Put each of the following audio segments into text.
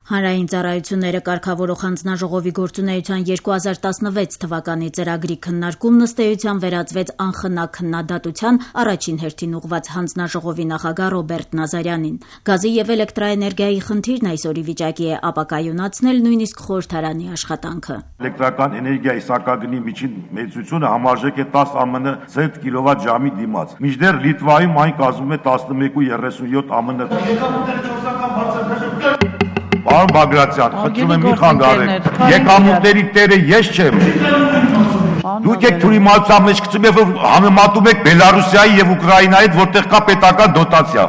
Հանրային ծառայությունները կարգավորող հանձնաժողովի գործունեության 2016 թվականի ծրագրի քննարկումն ըստ էության վերածվեց անխնա քննադատության առաջին հերթին ուղղված հանձնաժողովի նախագահ Ռոբերտ Նազարյանին։ Գազի եւ էլեկտրաէներգիայի խնդիրն այսօրի վիճակի է ապակայունացնել նույնիսկ խորհրդարանի աշխատանքը։ Էլեկտրական էներգիայի սակագնի միջին մեծությունը համարժեք է 10 ԱՄՆ ցենտ կիլովատ-ժամի դիմաց։ Մինչդեռ Լիտվայում այն կազմում է 11.37 ԱՄՆ։ Պարոն Բագրատյան, խնդրում եմ մի խանգարեք։ Եկամուտների տերը ես չեմ։ Դուք եք թյուրիմացության մեջ գցում եք, որ համեմատում եք Բելարուսիայի եւ Ուկրաինայի հետ, որտեղ կա պետական դոտացիա։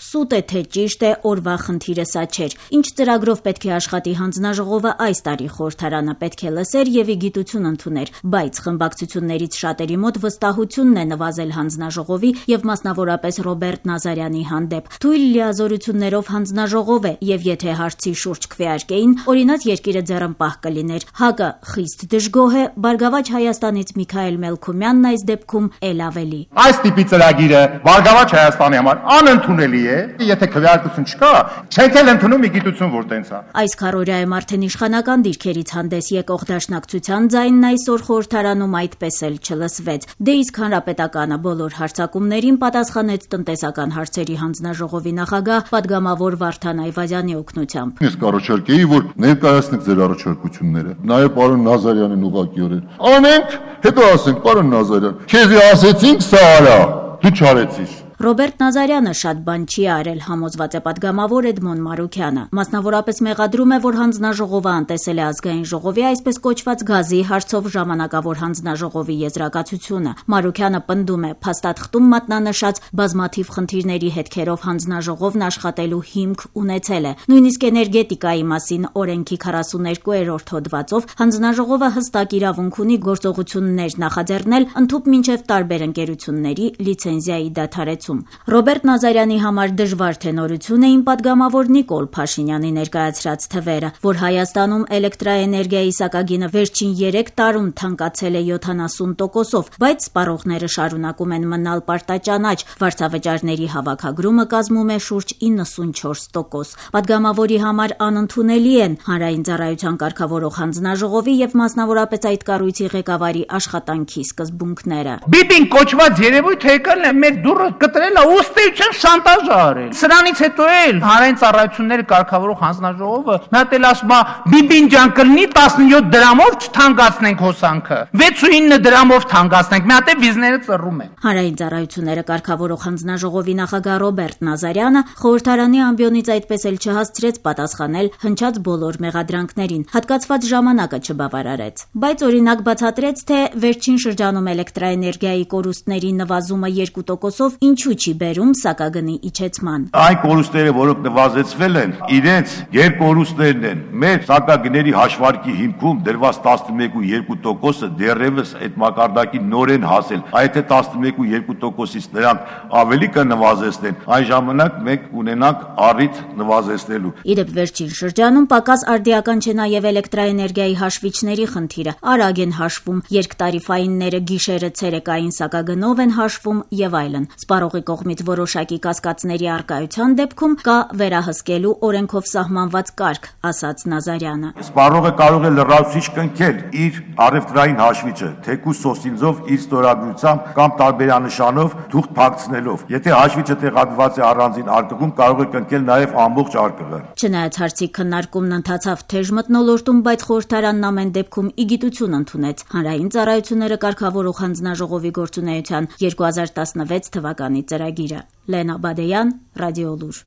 Սուտ է թե ճիշտ է, օրվա խնդիրը սա չէր։ Ինչ ծրագրով պետք է աշխատի հանձնաժողովը այս տարի խորհրդարանը պետք է լսեր եւ գիտություն ընդուներ, բայց խմբակցություններից շատերի մոտ վստահությունն է նվազել հանձնաժողովի եւ մասնավորապես Ռոբերտ Նազարյանի հանդեպ։ Թույլ լիազորություններով հանձնաժողով է եւ եթե հարցի շուրջ քվեարկեին, օրինակ երկիրը ձեռնպահ կլիներ։ ՀԱԿ-ը խիստ դժգոհ է, Բարգավաճ Հայաստանից Միքայել Մելքումյանն այս դեպքում էլ ավելի։ Այս տիպի ծրագիրը Բարգավաճ Հայաստանի համար անընդունելի է։ Եթե քվեարկություն չկա, չենք էլ ընդունում գիտություն, որ տենց է։ Այս քարոզայում արդեն իշխանական դիրքերից հանդես եկող դաշնակցության ձայնն այսօր խորհրդարանում այդպես էլ չլսվեց։ Դե իսկ հանրապետականը բոլոր հարձակումներին պատասխանեց տնտեսական հարցերի հանձնաժողովի նախագահ պատգամավոր Վարդան Այվազյանի օգնությամբ։ Ես կառաջարկեի, որ ներկայացնեք ձեր առաջարկությունները։ Նաև պարոն Նազարյանին ուղղակիորեն։ Անենք, հետո ասենք, պարոն Նազարյան, քեզի ասեցինք սա արա, դու չարեցիր։ Ռոբերտ Նազարյանը շատ բան չի արել, համոզված է պատգամավոր Էդմոն Մարուքյանը։ Մասնավորապես մեղադրում է, որ հանձնաժողովը անտեսել է ազգային ժողովի այսպես կոչված գազի հարցով ժամանակավոր հանձնաժողովի եզրակացությունը։ Մարուքյանը պնդում է, փաստաթղթում մատնանշած բազմաթիվ խնդիրների հետքերով հանձնաժողովն աշխատելու հիմք ունեցել է։ Նույնիսկ էներգետիկայի մասին օրենքի 42-րդ հոդվածով հանձնաժողովը հստակ իրավունք ունի գործողություններ նախաձեռնել ընդհուպ մինչև տարբեր ընկերությունների լիցենզիայի դադարեցում։ Ռոբերտ Նազարյանի համար դժվար թե նորություն էին պատգամավոր Նիկոլ Փաշինյանի ներկայացրած թվերը, որ Հայաստանում էլեկտրաէներգիայի սակագինը վերջին 3 տարում թանկացել է 70%-ով, բայց սպառողները շարունակում են մնալ պարտաճանաչ, վարձավճարների հավաքագրումը կազմում է շուրջ 94%։ Պատգամավորի համար անընդունելի են հանրային ծառայության կարգավորող հանձնաժողովի եւ մասնավորապես այդ կառույցի ղեկավարի աշխատանքի սկզբունքները։ Բիբին կոչված երևույթը եկել է մեր դուռը կտրելա ուստեյության շանտաժ արել։ Սրանից հետո էլ հանրային ծառայությունների կարգավորող հանձնաժողովը մի հատ էլ ասում է Բիբին ջան կլինի 17 դրամով չթանկացնենք հոսանքը, 6-9 դրամով թանկացնենք, մի հատ է վիզները ծռում են։ Հանրային ծառայությունները կարգավորող հանձնաժողովի նախագահ Ռոբերտ Նազարյանը խորհրդարանի ամբիոնից այդպես էլ չհասցրեց պատասխանել հնչած բոլոր մեղադրանքներին, հատկացված ժամանակը չբավարարեց։ Բայց օրինակ բացատրեց, թե վերջին շրջանում էլեկտրաէներգիայի կորուստների նվազումը 2%-ով ինչու չի բերում սակագնի իջեցման։ Այն կորուստները, որոնք նվազեցվել են, իրենց երկորուստներն են։ Մեր սակագների հաշվարկի հիմքում դրված 11.2%-ը դեռևս այդ մակարդակի նորեն հասել։ Այդ 11.2%-ից նրանք ավելի կնվազեցնեն, այն ժամանակ մենք ունենանք առիթ նվազեցնելու։ Իդեպ վերջին շրջանում պակաս արդիական չէ նաև էլեկտրաէներգիայի հաշվիչների խնդիրը։ Արագ են հաշվում, երկտարիֆայինները գիշերը ցերեկային սակագնով են հաշվում եւ այլն։ Սպառողի կողմից որոշակի կասկածների առկայության դեպքում կա վերահսկելու օրենքով սահմանված կարգ, ասաց Նազարյանը։ Սպառողը կարող է լրացուցիչ կնքել իր առևտրային հաշվիչը, թեկուզ սոսինձով իր ստորագրությամբ կամ տարբերանշանով թուղթ փակցնելով։ Եթե հաշվիչը տեղադրված է առանձին արկղում, կարող է կնքել նաև ամբողջ արկղը։ Չնայած հարցի քննարկումն ընթացավ թեժ մթնոլորտում, բայց խորհրդարանն ամեն դեպքում իգիտություն ընդունեց հանրային ծառայությունները կարգավորող հանձնաժողովի գործունեության 2016 թվականի ծրագիրը։ Լենա Բադեյան, Ռադիոլուր։